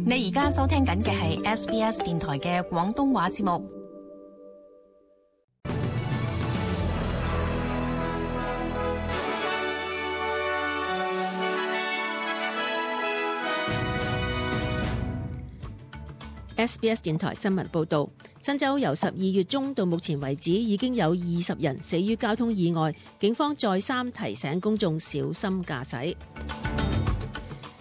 你而家收聽緊嘅係 SBS 電台嘅廣東話節目。SBS 電台新聞報導，新州由12月中到目前為止已經有20人死於交通意外，警方再三提醒公眾小心駕駛。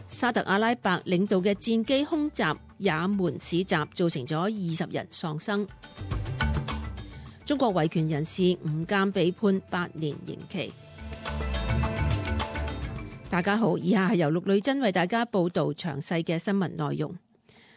沙特阿拉伯領導嘅戰機空襲也門市集，造成咗20人喪生。中國維權人士吳鑑被判8年刑期。大家好，以下係由陸女真為大家報導詳細嘅新聞內容。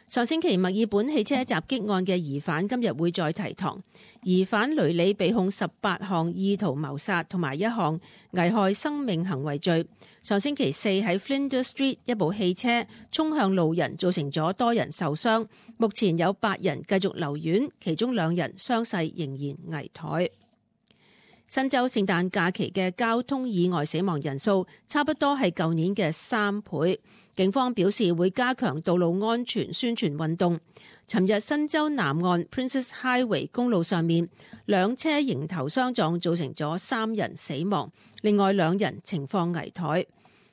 上星期墨爾本汽車襲擊案嘅疑犯今日會再提堂，疑犯雷里被控18項意圖謀殺同埋1項危害生命行為罪。上星期四喺 Flinders Street 一部汽車衝向路人，造成咗多人受傷，目前有8人繼續留院，其中2人傷勢仍然危殆。新州聖誕假期嘅交通意外死亡人數差不多係舊年嘅3倍。警方表示會加強道路安全宣傳運動。尋日新州南岸 Princess Highway 公路上面2車迎頭相撞，造成咗3人死亡，另外2人情況危殆。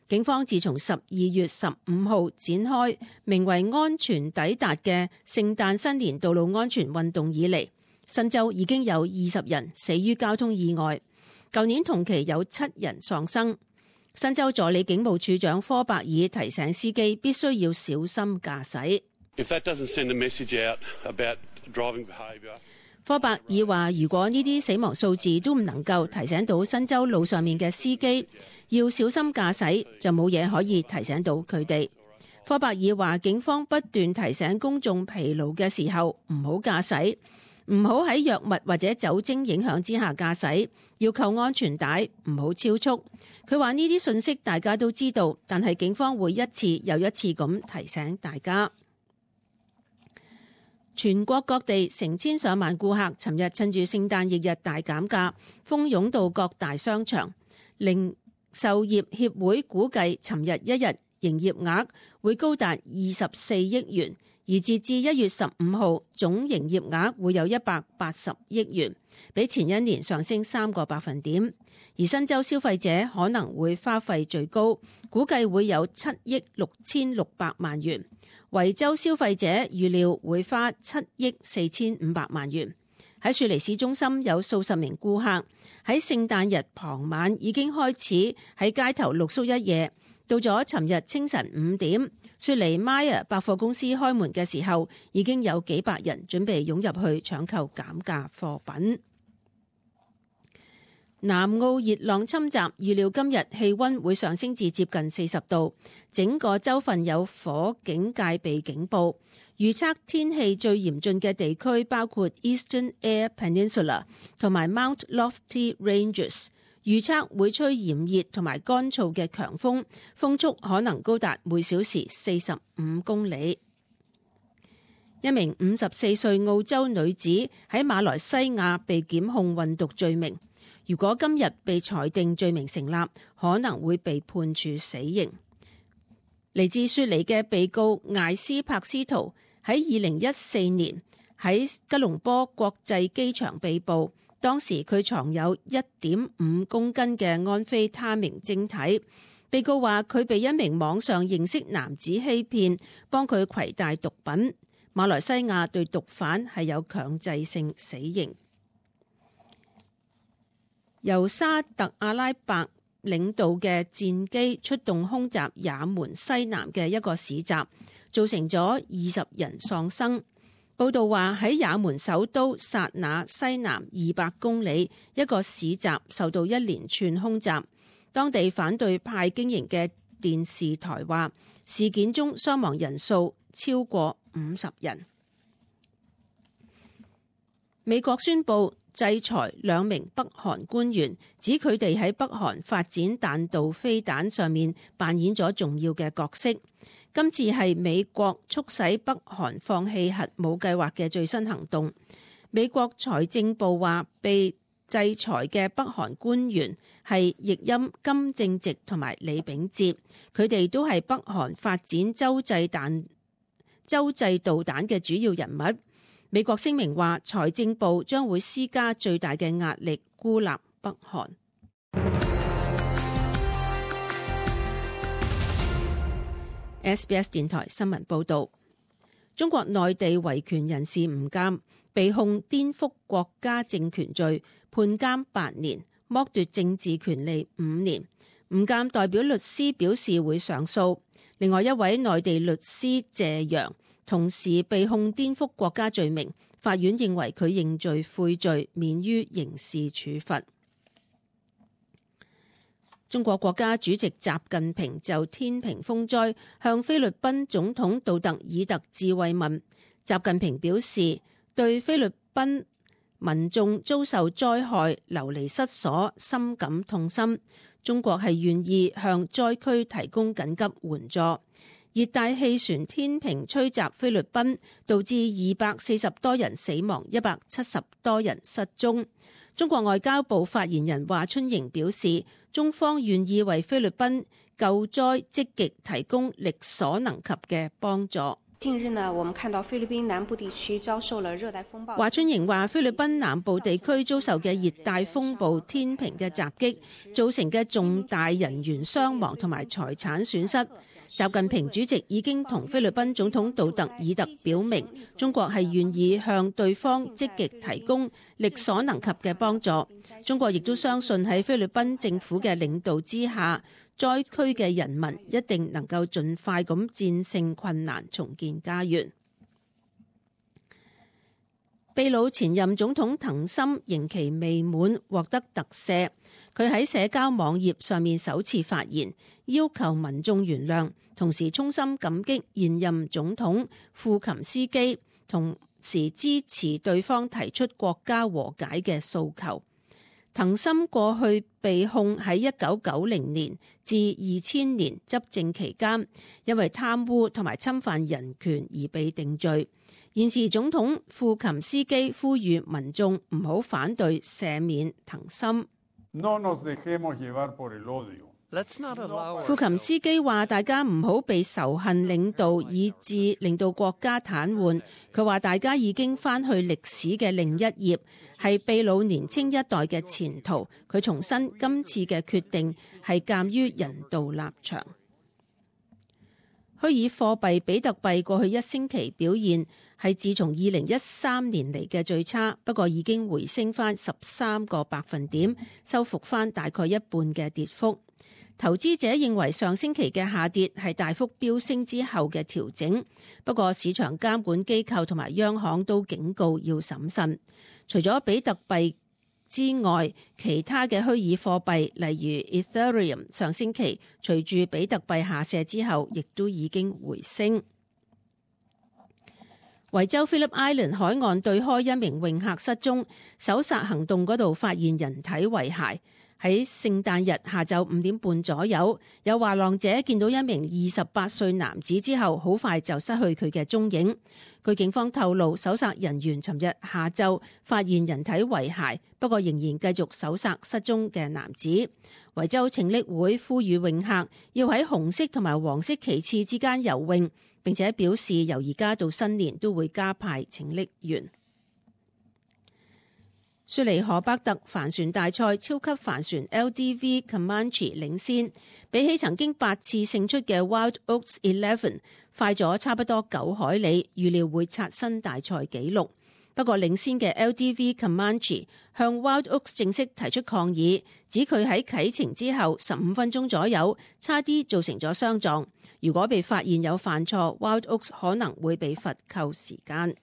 警方自從12月15號展開名為安全抵達嘅聖誕新年道路安全運動以嚟，新州已經有20人死於交通意外，舊年同期有7人喪生。新州助理警務處長科伯爾提醒司機必須要小心駕駛。科伯爾話，如果呢啲死亡數字都唔能夠提醒到新州路上面嘅司機要小心駕駛，就冇嘢可以提醒到佢哋。科伯爾話，警方不斷提醒公眾疲勞嘅時候唔好駕駛，唔好喺藥物或者酒精影響之下駕駛，要扣安全帶，唔好超速。佢話呢啲信息大家都知道，但係警方會一次又一次咁提醒大家。全國各地成千上萬顧客尋日趁住聖誕翌日大減價，蜂擁到各大商場。零售業協會估計尋日一日營業額會高達24億元。而截至1月15號，總營業額會有180億元，比前一年上升3個百分點。而新州消費者可能會花費最高，估計會有7億6600萬元。維州消費者預料會花7億4500萬元。喺雪梨市中心有數十名顧客喺聖誕日傍晚已經開始喺街頭露宿一夜。到咗尋日清晨5點，雪梨 Myer 百貨公司開門嘅時候，已經有幾百人準備湧入去搶購減價貨品。南澳熱浪侵襲，預料今日氣溫會上升至接近40度，整個州份有火警戒備警報。預測天氣最嚴峻嘅地區包括 Eastern Eyre Peninsula 同埋 Mount Lofty Ranges。預測會吹炎熱同埋乾燥嘅強風，風速可能高達每小時45公里。一名54歲澳洲女子喺馬來西亞被檢控運毒罪名，如果今日被裁定罪名成立，可能會被判處死刑。嚟自雪梨嘅被告艾斯柏斯圖喺2014年喺吉隆坡國際機場被捕。當時佢藏有1.5公斤嘅安非他命晶體。被告話佢被一名網上認識男子欺騙，幫佢攜帶毒品。馬來西亞對毒販係有強制性死刑。由沙特阿拉伯領導嘅戰機出動空襲也門西南嘅一個市集，造成咗20人喪生。報道話喺也門首都薩那西南200公里一個市集受到一連串空襲。當地反對派經營嘅電視台話，事件中傷亡人數超過50人。美國宣布制裁2名北韓官員，指佢哋喺北韓發展彈道飛彈上面扮演咗重要嘅角色。今次係美國促使北韓放棄核武計劃嘅最新行動。美國財政部話，被制裁嘅北韓官員係譯音金正直同埋李炳哲，佢哋都係北韓發展洲際彈洲際導彈嘅主要人物。美國聲明話，財政部將會施加最大嘅壓力孤立北韓。SBS 電台新聞報導，中國內地維權人士吳鑑被控顛覆國家政權罪，判監8年，剝奪政治權利5年。吳鑑代表律師表示會上訴。另外一位內地律師謝陽同時被控顛覆國家罪名，法院認為佢認罪悔罪，免於刑事處罰。中國國家主席習近平就天平風災向菲律賓總統杜特爾特致慰問。習近平表示，對菲律賓民眾遭受災害流離失所深感痛心，中國係願意向災區提供緊急援助。熱帶氣旋天平吹襲菲律賓，導致240多人死亡，170多人失蹤。中國外交部發言人華春瑩表示，中方願意為菲律賓救災積極提供力所能及嘅幫助。近日呢，我們看到菲律賓南部地區遭受了熱帶風暴。華春瑩話，菲律賓南部地區遭受嘅熱帶風暴天平嘅襲擊，造成嘅重大人員傷亡同埋財產損失。習近平主席已經同菲律賓總統杜特爾特表明，中國係願意向對方積極提供力所能及嘅幫助。中國亦都相信喺菲律賓政府嘅領導之下，災區嘅人民一定能夠盡快咁戰勝困難，重建家園。秘魯前任總統藤森刑期未滿，獲得特赦。佢喺社交網頁上面首次發言，要求民眾原諒，同時衷心感激現任總統庫琴斯基，同時支持對方提出國家和解嘅訴求。藤森過去被控喺1990年至2000年執政期間，因為貪污同埋侵犯人權而被定罪。現時總統庫琴斯基呼籲民眾唔好反對赦免藤森。庫琴斯基話：大家唔好被仇恨領導，以致令到國家癱瘓。佢話：大家已經翻去歷史嘅另一頁，係秘魯年青一代嘅前途。佢重申今次嘅決定係鑑於人道立場。虛擬貨幣比特幣過去一星期表現係自從2013年嚟嘅最差，不過已經回升翻13個百分點，收復翻大概一半嘅跌幅。投資者認為上星期嘅下跌係大幅飆升之後嘅調整，不過市場監管機構同埋央行都警告要審慎。除咗比特幣之外，其他嘅虛擬貨幣例如 Ethereum 上星期隨住比特幣下瀉之後，亦都已經回升。維州 Phillip Island 海岸對開一名泳客失蹤，搜索行動嗰度發現人體遺骸。喺聖誕日下晝5點半左右，有滑浪者見到一名28歲男子之後，好快就失去佢嘅蹤影。據警方透露，搜索人員尋日下晝發現人體遺骸，不過仍然繼續搜索失蹤嘅男子。維州拯溺會呼籲泳客要喺紅色同埋黃色旗幟之間游泳，並且表示由而家到新年都會加派拯溺員。雪梨河伯特帆船大賽超級帆船 LDV Comanche 領先，比起曾經8次勝出嘅 Wild Oats 11快咗差不多9海里，預料會刷新大賽紀錄。不過領先嘅 LDV Comanche 向 Wild Oats 正式提出抗議，指佢喺啟程之後15分鐘左右差啲造成咗相撞。如果被發現有犯錯， Wild Oats 可能會被罰扣時間。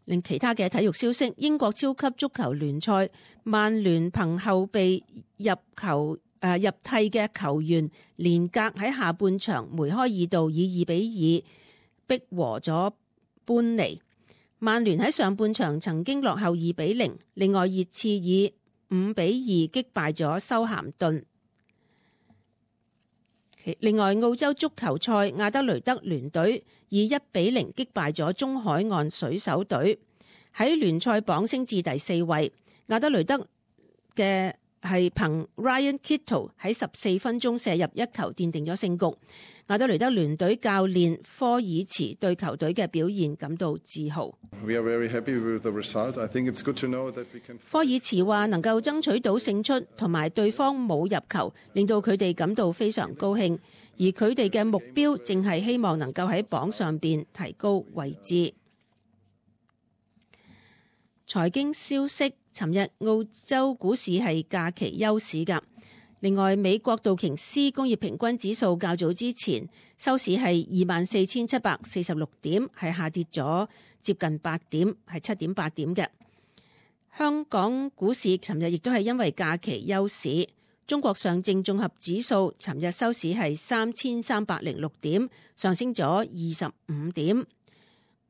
另其他嘅體育消息，英國超級足球聯賽，曼聯憑後備入替嘅球員連格喺下半場梅開二度，以2-2逼和咗般尼。曼聯喺上半場曾經落後2-0，另外熱刺以5-2擊敗咗修咸頓。另外澳洲足球賽，亞德雷德聯隊以1-0擊敗咗中海岸水手隊，喺聯賽榜升至第4位。亞德雷德嘅係憑 Ryan Kittle 喺14分鐘射入一球奠定咗勝局。亞德雷德聯隊教練科爾茨對球隊嘅表現感到自豪。科爾茨話能夠爭取到勝出同埋對方冇入球，令到佢哋感到非常高興，而佢哋嘅目標正係希望能夠喺榜上邊提高位置。財經消息，尋日澳洲股市係假期休市㗎。另外，美國道瓊斯工業平均指數較早之前收市係24,746點，係下跌咗接近8點，係7.8點嘅。香港股市尋日亦都係因為假期休市。中國上證綜合指數尋日收市係3306點，上升咗25點。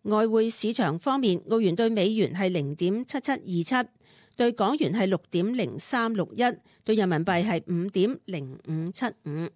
外匯市場方面，澳元對美元係0.7727。對港元係6.0361，對人民幣係5.0575。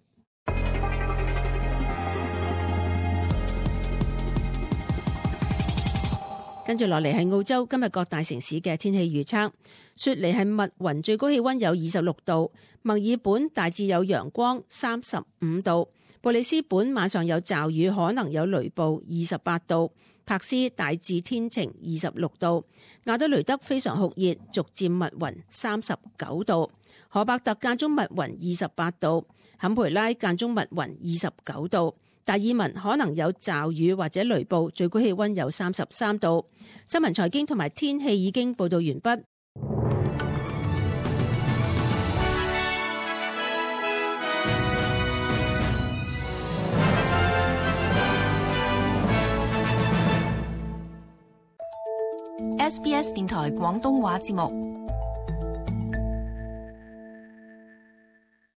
跟住落嚟係澳洲今日各大城市嘅天氣預測。雪梨係密雲，最高氣溫有26度；墨爾本大致有陽光，35度；布里斯本晚上有驟雨，可能有雷暴，28度；柏斯大致天晴，26度；亞德雷德非常酷熱，逐漸密雲，39度；荷伯特間中密雲，28度；坎培拉間中密雲，29度；達爾文可能有驟雨或者雷暴，最高氣溫有33度。新聞財經同埋天氣已經報道完畢。SBS 電台廣東話節目。